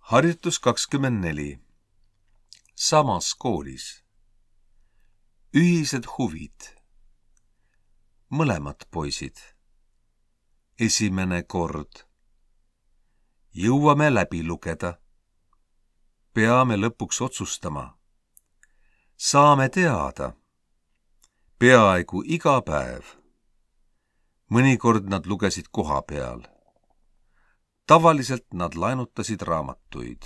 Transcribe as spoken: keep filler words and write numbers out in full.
Harjutus kakskümmend neli. Samas koolis. Ühised huvid. Mõlemad poisid. Esimene kord. Jõuame läbi lugeda. Peame lõpuks otsustama. Saame teada. Peaaegu iga päev. Mõnikord nad lugesid koha peal. Tavaliselt nad laenutasid raamatuid.